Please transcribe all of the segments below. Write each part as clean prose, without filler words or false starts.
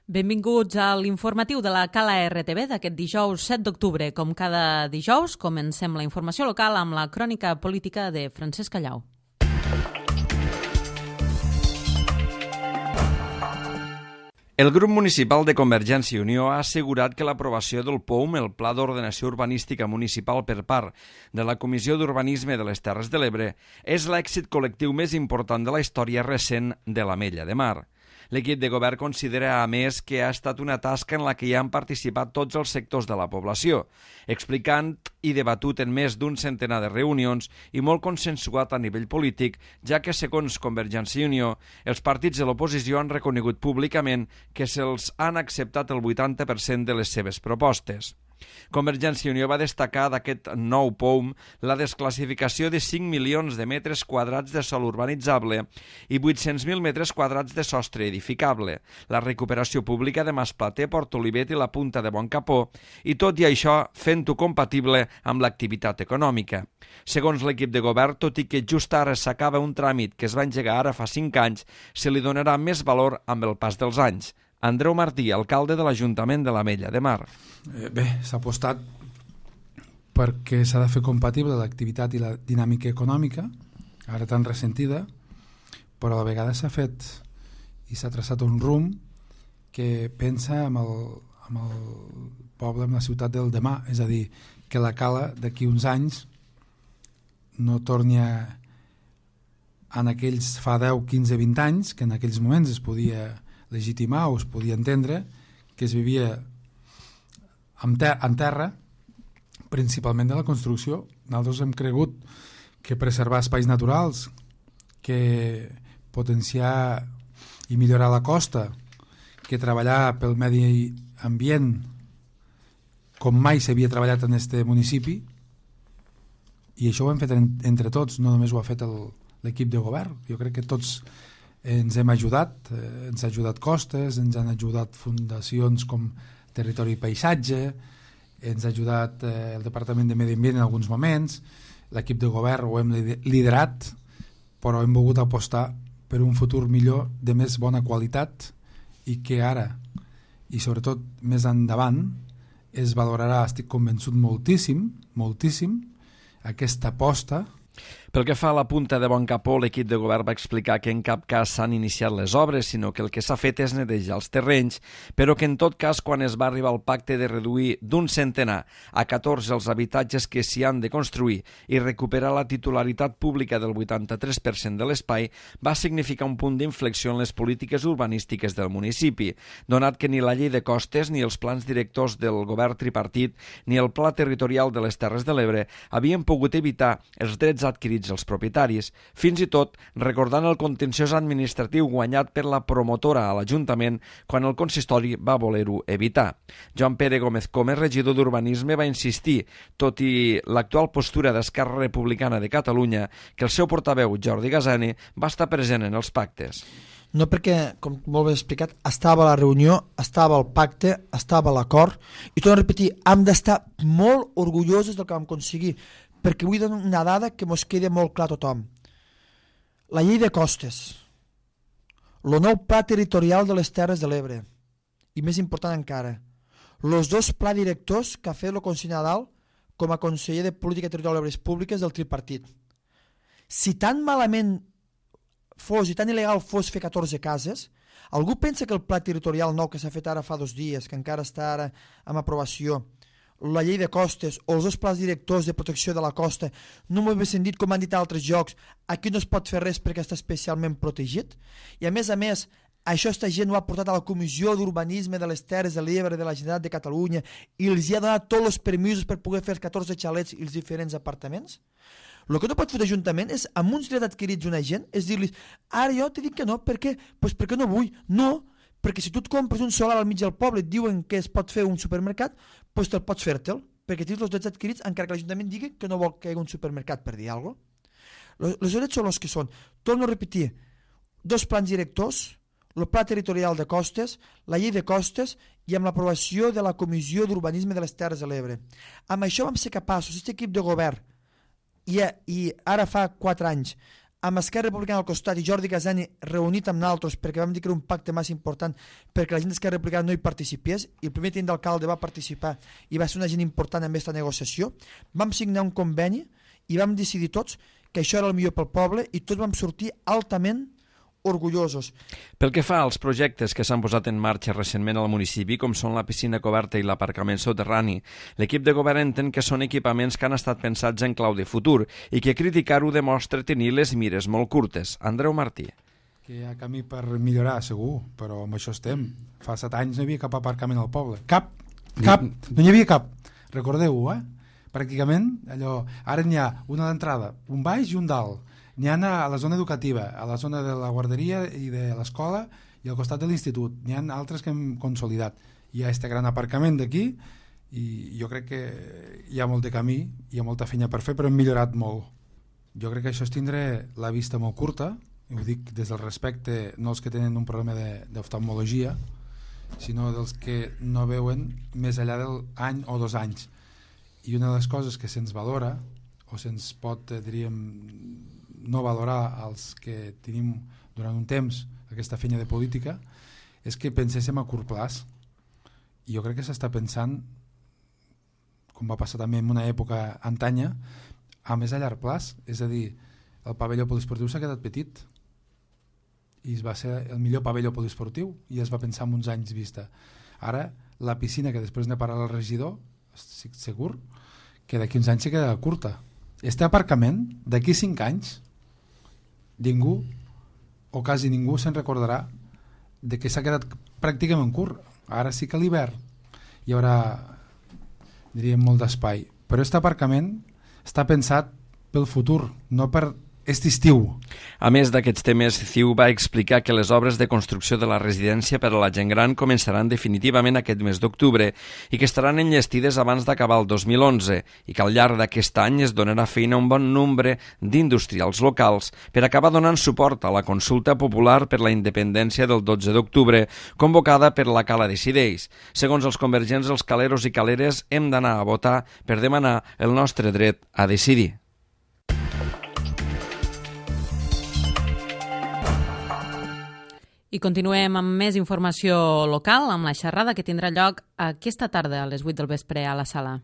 Benvinguts a l'informatiu de la Cala RTV d'aquest dijous 7 d'octubre. Com cada dijous, comencem la informació local amb la crònica política de Francesc Callau. El grup municipal de Convergència i Unió ha assegurat que l'aprovació del POUM, el Pla d'Ordenació Urbanística Municipal per part de la Comissió d'Urbanisme de les Terres de l'Ebre, és l'èxit col·lectiu més important de la història recent de l'Ametlla de Mar. L'equip de govern considera, a més, que ha estat una tasca en la que hi han participat tots els sectors de la població, explicant i debatut en més d'un centenar de reunions i molt consensuat a nivell polític, ja que, segons Convergència i Unió, els partits de l'oposició han reconegut públicament que se'ls han acceptat el 80% de les seves propostes. Convergència i Unió va destacar d'aquest nou POUM la desclassificació de 5 milions de metres quadrats de sòl urbanitzable i 800.000 metres quadrats de sostre edificable, la recuperació pública de Masplater, Port Olivet i la Punta de Boncapó, i tot i això fent-ho compatible amb l'activitat econòmica. Segons l'equip de govern, tot i que just ara s'acaba un tràmit que es va engegar ara fa 5 anys, se li donarà més valor amb el pas dels anys. Andreu Martí, alcalde de l'Ajuntament de l'Ametlla de Mar. Bé, s'ha apostat perquè s'ha de fer compatible l'activitat i la dinàmica econòmica, ara tan ressentida, però a la vegada s'ha fet i s'ha traçat un rumb que pensa amb el poble, amb la ciutat del demà, és a dir, que la Cala d'aquí uns anys no torni en aquells fa 10, 15, 20 anys, que en aquells moments es podia legitimar o es podia entendre que es vivia en terra, principalment de la construcció. Nosaltres hem cregut que preservar espais naturals, que potenciar i millorar la costa, que treballar pel medi ambient com mai s'havia treballat en este municipi, i això ho hem fet entre tots, no només ho ha fet l'equip de govern. Jo crec que tots ens hem ajudat, ens ha ajudat Costes, ens han ajudat fundacions com Territori i Paisatge, ens ha ajudat el Departament de Medi Ambient en alguns moments, l'equip de govern ho hem liderat, però hem volgut apostar per un futur millor de més bona qualitat i que ara, i sobretot més endavant, es valorarà, estic convençut, moltíssim, aquesta aposta. Pel que fa a la Punta de Boncapó, l'equip de govern va explicar que en cap cas s'han iniciat les obres, sinó que el que s'ha fet és netejar els terrenys, però que en tot cas, quan es va arribar al pacte de reduir d'un centenar a 14 els habitatges que s'hi han de construir i recuperar la titularitat pública del 83% de l'espai, va significar un punt d'inflexió en les polítiques urbanístiques del municipi, donat que ni la llei de costes, ni els plans directors del govern tripartit, ni el pla territorial de les Terres de l'Ebre havien pogut evitar els drets adquirits els propietaris, fins i tot recordant el contenciós administratiu guanyat per la promotora a l'Ajuntament quan el consistori va voler-ho evitar. Joan Pere Gómez Comes, regidor d'Urbanisme, va insistir, tot i l'actual postura d'Esquerra Republicana de Catalunya, que el seu portaveu, Jordi Gasani, va estar present en els pactes. No perquè, com molt bé explicat, estava a la reunió, estava al pacte, estava a l'acord, i torno a repetir, hem d'estar molt orgullosos del que vam aconseguir, perquè vull donar una dada que mos quedi molt clar a tothom. La llei de costes, el nou pla territorial de les Terres de l'Ebre, i més important encara, els 2 plans directors que ha fet el conseller Nadal com a conseller de Política Territorial i Obres Públiques del tripartit. Si tan malament fos i tan il·legal fos fer 14 cases, algú pensa que el pla territorial nou que s'ha fet ara fa 2 dies, que encara està ara en aprovació, la llei de costes o els 2 plans directors de protecció de la costa, no m'ho he sentit com han dit altres llocs, aquí no es pot fer res perquè està especialment protegit, i a més, això esta gent ho ha portat a la Comissió d'Urbanisme de les Terres de l'Ebre de la Generalitat de Catalunya i els ha donat tots els permisos per poder fer els 14 xalets i els diferents apartaments. El que no pot fer l'Ajuntament és, amb uns drets adquirits una gent, és dir-li, ara jo t'he dit que no, per què? Doncs perquè no vull. No, perquè si tu et compres un solar al mig del poble i et diuen que es pot fer un supermercat, doncs te'l pots fer-te'l, perquè tens els drets adquirits encara que l'Ajuntament digui que no vol que hi hagi un supermercat, per dir alguna cosa. Els drets són els que són. Torno a repetir, 2 plans directors, el pla territorial de costes, la llei de costes i amb l'aprovació de la Comissió d'Urbanisme de les Terres de l'Ebre. Amb això vam ser capaços, aquest equip de govern, i ara fa 4 anys, amb Esquerra Republicana al costat i Jordi Casani reunit amb nosaltres perquè vam dir que era un pacte massa important perquè la gent d'Esquerra Republicana no hi participés i el primer tinent d'alcalde va participar i va ser una gent important en aquesta negociació. Vam signar un conveni i vam decidir tots que això era el millor pel poble i tots vam sortir altament orgullosos. Pel que fa als projectes que s'han posat en marxa recentment al municipi, com són la piscina coberta i l'aparcament soterrani, l'equip de govern entén que són equipaments que han estat pensats en clau de futur i que criticar-ho demostra tenir les mires molt curtes. Andreu Martí. Que hi ha camí per millorar, segur, però amb això estem. Fa 7 anys no hi havia cap aparcament al poble. Cap. No hi havia cap. Recordeu-ho, Pràcticament, allò... Ara n'hi ha una d'entrada, un baix i un dalt. N'hi ha a la zona educativa, a la zona de la guarderia i de l'escola i al costat de l'institut. N'hi ha altres que hem consolidat. Hi ha aquest gran aparcament d'aquí i jo crec que hi ha molt de camí, hi ha molta feina per fer, però hem millorat molt. Jo crec que això és tindre la vista molt curta, i ho dic des del respecte, no els que tenen un problema d'oftalmologia, sinó dels que no veuen més enllà del any o 2 anys. I una de les coses que se'ns valora, o se'ns pot, diríem, no valorar els que tenim durant un temps aquesta feina de política, és que penséssim a curt plaç. I jo crec que s'està pensant, com va passar també en una època antanya, a més a llarg plaç. És a dir, el pavelló poliesportiu s'ha quedat petit i va ser el millor pavelló poliesportiu i es va pensar en uns anys vista. Ara, la piscina, que després n'ha parlat el regidor, estic segur que d'aquí uns anys se queda curta. Este aparcament, d'aquí 5 anys, ningú, o quasi ningú, se'n recordarà de que s'ha quedat pràcticament curt. Ara sí que a l'hivern hi haurà, diríem, molt d'espai. Però aquest aparcament està pensat pel futur, no per aquest estiu. A més d'aquests temes, CiU va explicar que les obres de construcció de la residència per a la gent gran començaran definitivament aquest mes d'octubre i que estaran enllestides abans d'acabar el 2011 i que al llarg d'aquest any es donarà feina a un bon nombre d'industrials locals per acabar donant suport a la consulta popular per la independència del 12 d'octubre convocada per la Cala Decideix. Segons els convergents, els caleros i caleres hem d'anar a votar per demanar el nostre dret a decidir. I continuem amb més informació local, amb la xerrada que tindrà lloc aquesta tarda a les 8 del vespre a la sala.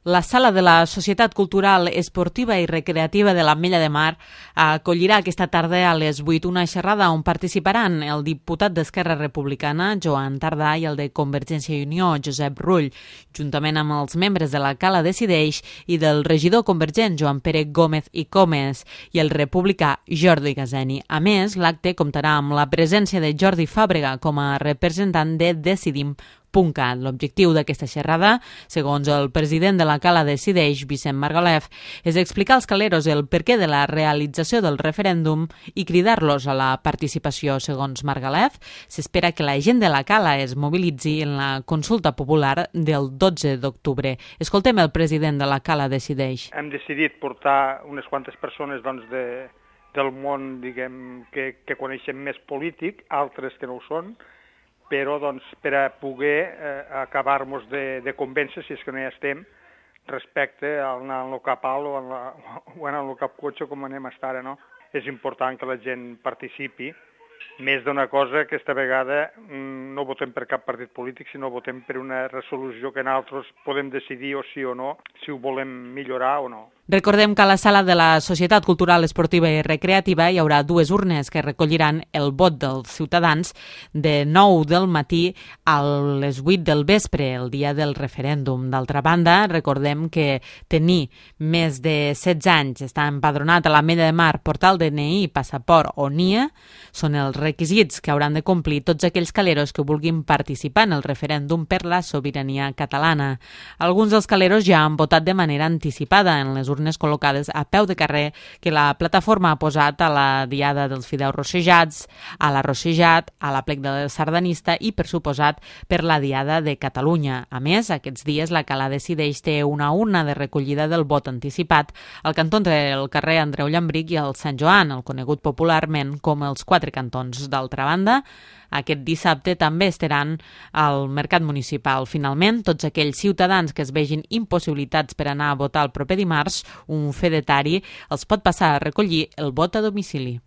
La sala de la Societat Cultural, Esportiva i Recreativa de l'Ametlla de Mar acollirà aquesta tarda a les 8 una xerrada on participaran el diputat d'Esquerra Republicana, Joan Tardà, i el de Convergència i Unió, Josep Rull, juntament amb els membres de la Cala Decideix i del regidor convergent, Joan Pere Gómez i Comes, i el republicà Jordi Casani. A més, l'acte comptarà amb la presència de Jordi Fàbrega com a representant de Decidim.cat. L'objectiu d'aquesta xerrada, segons el president de la Cala Decideix, Vicent Margalef, és explicar als caleros el perquè de la realització del referèndum i cridar-los a la participació. Segons Margalef, s'espera que la gent de la Cala es mobilitzi en la consulta popular del 12 d'octubre. Escoltem el president de la Cala Decideix. Hem decidit portar unes quantes persones del món, diguem, que coneixen més polític, altres que no ho són, però per a poder acabar-nos de convèncer, si és que no hi estem, respecte a anar en el cap alt o anar en el cap cotxe com anem a estar ara, no? És important que la gent participi, més d'una cosa, aquesta vegada no votem per cap partit polític, sinó votem per una resolució que nosaltres podem decidir o sí o no, si ho volem millorar o no. Recordem que a la sala de la Societat Cultural, Esportiva i Recreativa hi haurà 2 urnes que recolliran el vot dels ciutadans de 9 del matí a les 8 del vespre, el dia del referèndum. D'altra banda, recordem que tenir més de 16 anys, estar empadronat a l'Ametlla de Mar, portar el DNI, passaport o NIE, són els requisits que hauran de complir tots aquells caleros que vulguin participar en el referèndum per la sobirania catalana. Alguns dels caleros ja han votat de manera anticipada en les urnes col·locades a peu de carrer que la plataforma ha posat a la Diada dels Fideus Rossejats, a la Rossejat, a la Plec del Sardanista i, per suposat, per la Diada de Catalunya. A més, aquests dies la Cala Decideix té una urna de recollida del vot anticipat al cantó entre el carrer Andreu Llambric i el Sant Joan, el conegut popularment com els 4 cantons. D'altra banda, aquest dissabte també estaran al mercat municipal. Finalment, tots aquells ciutadans que es vegin impossibilitats per anar a votar el proper dimarts, un fedatari els pot passar a recollir el vot a domicili.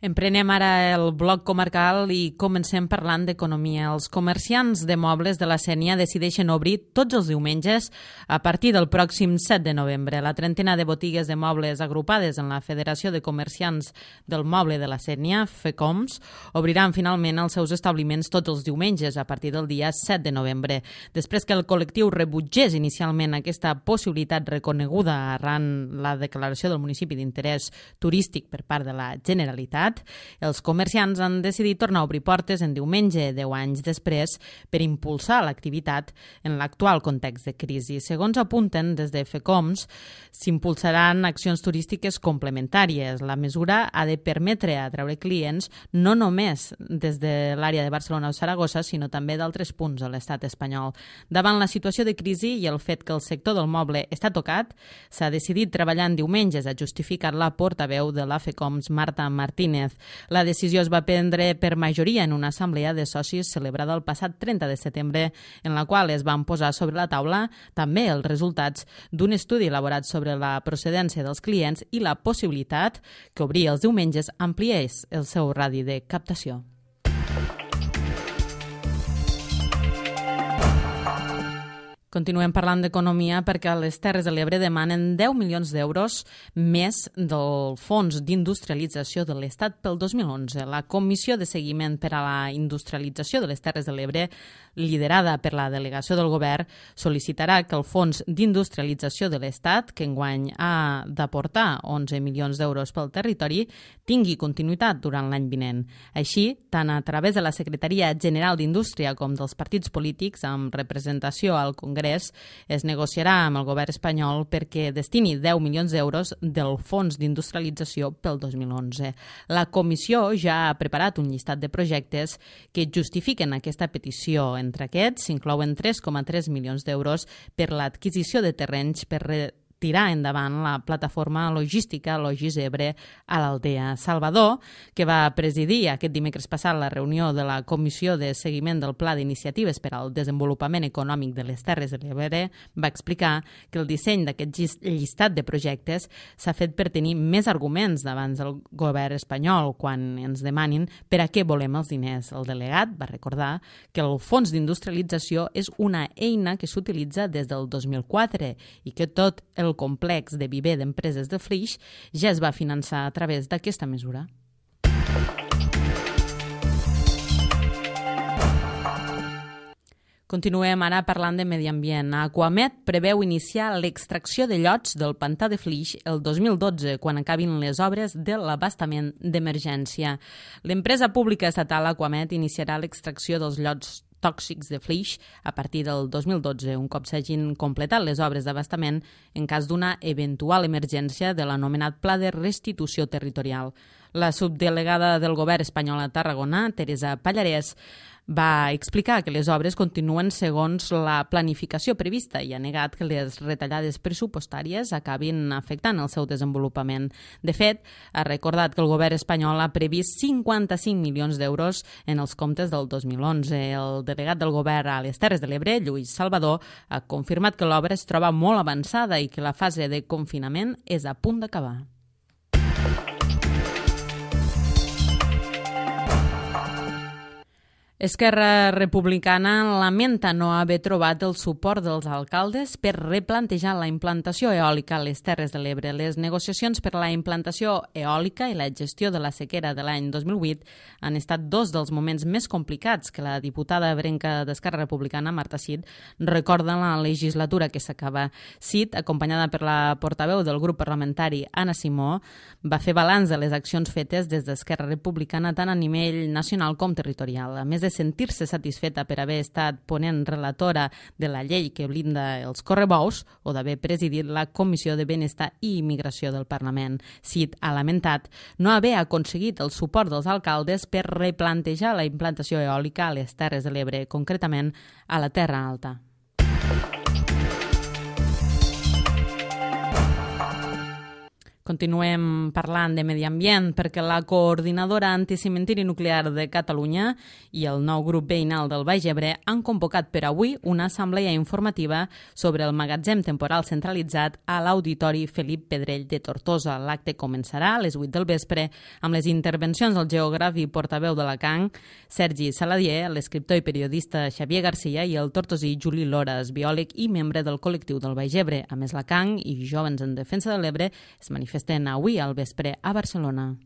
Emprenem ara el bloc comarcal i comencem parlant d'economia. Els comerciants de mobles de la Sénia decideixen obrir tots els diumenges a partir del pròxim 7 de novembre. La trentena de botigues de mobles agrupades en la Federació de Comerciants del Moble de la Sénia, FECOMS, obriran finalment els seus establiments tots els diumenges a partir del dia 7 de novembre. Després que el col·lectiu rebutgés inicialment aquesta possibilitat reconeguda arran la declaració del municipi d'interès turístic per part de la Generalitat, els comerciants han decidit tornar a obrir portes en diumenge 10 anys després per impulsar l'activitat en l'actual context de crisi. Segons apunten des de FECOMS, s'impulsaran accions turístiques complementàries. La mesura ha de permetre atreure clients no només des de l'àrea de Barcelona o Saragossa, sinó també d'altres punts de l'estat espanyol. Davant la situació de crisi i el fet que el sector del moble està tocat, s'ha decidit treballar en diumenges, ha justificat la portaveu de la FECOMS, Marta Martínez. La decisió es va prendre per majoria en una assemblea de socis celebrada el passat 30 de setembre, en la qual es van posar sobre la taula també els resultats d'un estudi elaborat sobre la procedència dels clients i la possibilitat que obrir els diumenges ampliés el seu radi de captació. Continuem parlant d'economia perquè les Terres de l'Ebre demanen 10 milions d'euros més del Fons d'Industrialització de l'Estat pel 2011. La Comissió de Seguiment per a la Industrialització de les Terres de l'Ebre, liderada per la delegació del Govern, sol·licitarà que el Fons d'Industrialització de l'Estat, que enguany ha d'aportar 11 milions d'euros pel territori, tingui continuïtat durant l'any vinent. Així, tant a través de la Secretaria General d'Indústria com dels partits polítics amb representació al Congrés, es negociarà amb el govern espanyol perquè destini 10 milions d'euros del Fons d'Industrialització pel 2011. La comissió ja ha preparat un llistat de projectes que justifiquen aquesta petició. Entre aquests s'inclouen 3,3 milions d'euros per l'adquisició de terrenys per tirar endavant la plataforma logística Logis Ebre a l'Aldea. Salvador, que va presidir aquest dimecres passat la reunió de la Comissió de Seguiment del Pla d'Iniciatives per al Desenvolupament Econòmic de les Terres de l'Ebre, va explicar que el disseny d'aquest llistat de projectes s'ha fet per tenir més arguments davant del govern espanyol quan ens demanin per a què volem els diners. El delegat va recordar que el Fons d'Industrialització és una eina que s'utilitza des del 2004 i que tot el complex de viver d'empreses de Flix ja es va finançar a través d'aquesta mesura. Continuem ara parlant de medi ambient. Aquamet preveu iniciar l'extracció de llots del pantà de Flix el 2012, quan acabin les obres de l'abastament d'emergència. L'empresa pública estatal Aquamet iniciarà l'extracció dels llots tòxics de Flix a partir del 2012, un cop s'hagin completat les obres d'abastament en cas d'una eventual emergència de l'anomenat Pla de Restitució Territorial. La subdelegada del govern espanyol a Tarragona, Teresa Pallarès, va explicar que les obres continuen segons la planificació prevista i ha negat que les retallades pressupostàries acabin afectant el seu desenvolupament. De fet, ha recordat que el govern espanyol ha previst 55 milions d'euros en els comptes del 2011. El delegat del govern a les Terres de l'Ebre, Lluís Salvador, ha confirmat que l'obra es troba molt avançada i que la fase de confinament és a punt d'acabar. Esquerra Republicana lamenta no haver trobat el suport dels alcaldes per replantejar la implantació eòlica a les Terres de l'Ebre. Les negociacions per la implantació eòlica i la gestió de la sequera de l'any 2008 han estat dos dels moments més complicats que la diputada ebrenca d'Esquerra Republicana, Marta Cid, recorda en la legislatura que s'acaba. Cid, acompanyada per la portaveu del grup parlamentari, Anna Simó, va fer balanç de les accions fetes des d'Esquerra Republicana tant a nivell nacional com territorial. A més de sentir-se satisfeta per haver estat ponent relatora de la llei que blinda els correbous o d'haver presidit la Comissió de Benestar i Immigració del Parlament. Cid ha lamentat no haver aconseguit el suport dels alcaldes per replantejar la implantació eòlica a les Terres de l'Ebre, concretament a la Terra Alta. Continuem parlant de medi ambient perquè la Coordinadora Anticementiri Nuclear de Catalunya i el nou grup veïnal del Baix Ebre han convocat per avui una assemblea informativa sobre el magatzem temporal centralitzat a l'Auditori Felip Pedrell de Tortosa. L'acte començarà a les 8 del vespre amb les intervencions del geògraf i portaveu de la CAN, Sergi Saladier, l'escriptor i periodista Xavier Garcia i el tortosí Juli Loras, biòleg i membre del col·lectiu del Baix Ebre. A més, la CAN i Jóvens en Defensa de l'Ebre es manifesten avui al vespre a Barcelona.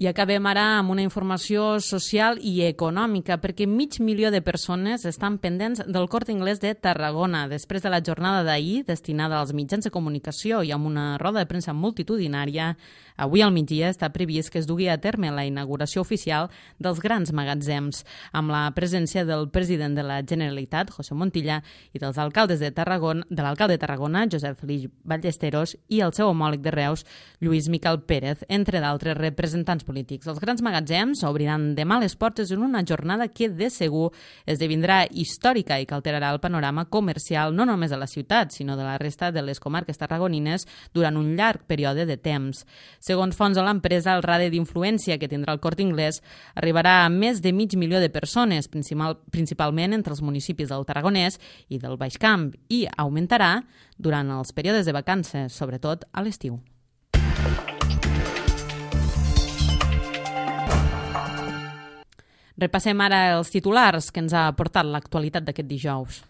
I acabem ara amb una informació social i econòmica, perquè 500.000 de persones estan pendents del Corte Inglés de Tarragona després de la jornada d'ahir destinada als mitjans de comunicació i amb una roda de premsa multitudinària. Avui al migdia està previst que es dugui a terme la inauguració oficial dels grans magatzems, amb la presència del president de la Generalitat, José Montilla, i dels alcaldes de Tarragona, de l'alcalde de Tarragona, Josep Felip Ballesteros, i el seu homòleg de Reus, Lluís Miquel Pérez, entre d'altres representants polítics. Els grans magatzems obriran demà les portes en una jornada que de segur esdevindrà històrica i que alterarà el panorama comercial no només de la ciutat, sinó de la resta de les comarques tarragonines durant un llarg període de temps. Segons fonts de l'empresa, el radi d'influència que tindrà el Corte Inglés arribarà a més de 500.000 de persones, principalment entre els municipis del Tarragonès i del Baix Camp, i augmentarà durant els períodes de vacances, sobretot a l'estiu. Repassem ara els titulars que ens ha aportat l'actualitat d'aquest dijous.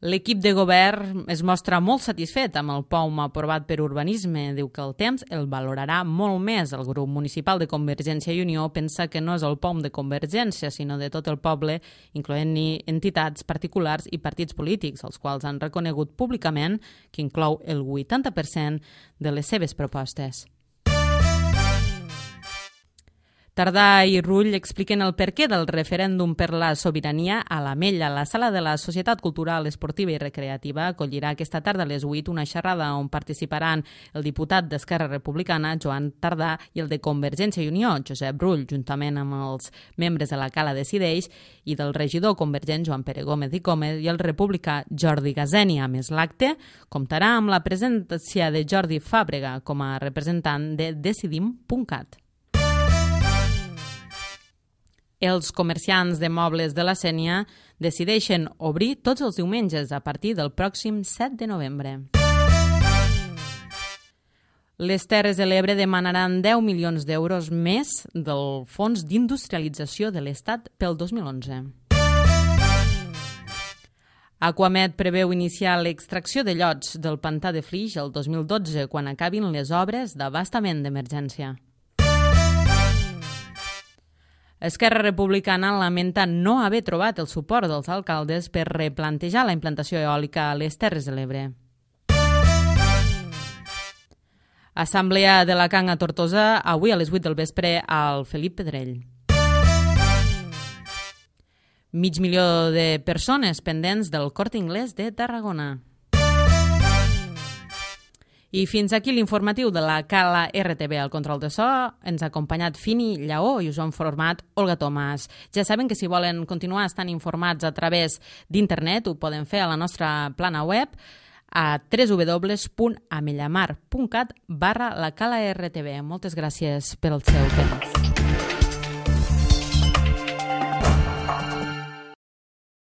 L'equip de govern es mostra molt satisfet amb el POUM aprovat per Urbanisme. Diu que el temps el valorarà molt més. El grup municipal de Convergència i Unió pensa que no és el POUM de Convergència, sinó de tot el poble, incloent-hi entitats particulars i partits polítics, els quals han reconegut públicament que inclou el 80% de les seves propostes. Tardà i Rull expliquen el perquè del referèndum per la sobirania a l'Ametlla. La sala de la Societat Cultural, Esportiva i Recreativa acollirà aquesta tarda a les 8 una xerrada on participaran el diputat d'Esquerra Republicana, Joan Tardà, i el de Convergència i Unió, Josep Rull, juntament amb els membres de la Cala Decideix i del regidor convergent Joan Pere Gómez i Gómez i el republicà Jordi Gazeni. A més, l'acte comptarà amb la presència de Jordi Fàbrega com a representant de Decidim.cat. Els comerciants de mobles de la Sénia decideixen obrir tots els diumenges a partir del pròxim 7 de novembre. Les Terres de l'Ebre demanaran 10 milions d'euros més del Fons d'Industrialització de l'Estat pel 2011. Aquamed preveu iniciar l'extracció de llots del pantà de Flix el 2012, quan acabin les obres d'abastament d'emergència. Esquerra Republicana lamenta no haver trobat el suport dels alcaldes per replantejar la implantació eòlica a les Terres de l'Ebre. Assemblea de la CAN a Tortosa, avui a les 8 del vespre al Felip Pedrell. 500.000 de persones pendents del Corte Inglés de Tarragona. I fins aquí l'informatiu de la Cala RTV. Al control de so ens ha acompanyat Fini Lleó i us ha informat Olga Tomàs. Ja saben que si volen continuar estant informats a través d'internet ho poden fer a la nostra plana web a www.amellamar.cat/la Cala RTV. Moltes gràcies pel seu temps.